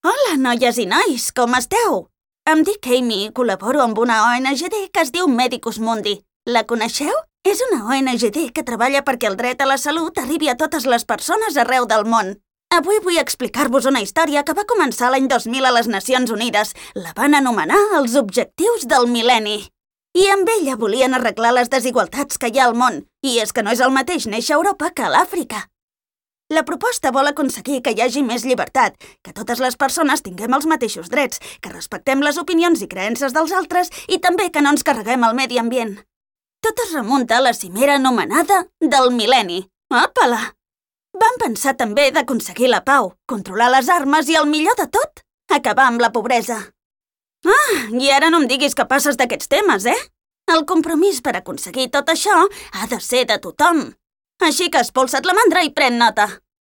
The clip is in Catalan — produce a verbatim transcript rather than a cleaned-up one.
Hola, noies i nois, com esteu? Em dic Amy i col·laboro amb una O N G D que es diu Medicus Mundi. La coneixeu? És una O N G D que treballa perquè el dret a la salut arribi a totes les persones arreu del món. Avui vull explicar-vos una història que va començar l'any dos mil a les Nacions Unides. La van anomenar els Objectius del Mil·lenni. I amb ella volien arreglar les desigualtats que hi ha al món. I és que no és el mateix néixer a Europa que a l'Àfrica. La proposta vol aconseguir que hi hagi més llibertat, que totes les persones tinguem els mateixos drets, que respectem les opinions i creences dels altres i també que no ens carreguem el medi ambient. Tot es remunta a la cimera anomenada del mil·lenni. Àpala! Van pensar també d'aconseguir la pau, controlar les armes i, el millor de tot, acabar amb la pobresa. Ah, i ara no em diguis que passes d'aquests temes, eh? El compromís per aconseguir tot això ha de ser de tothom. Així que espolsa't la mandra i pren nota.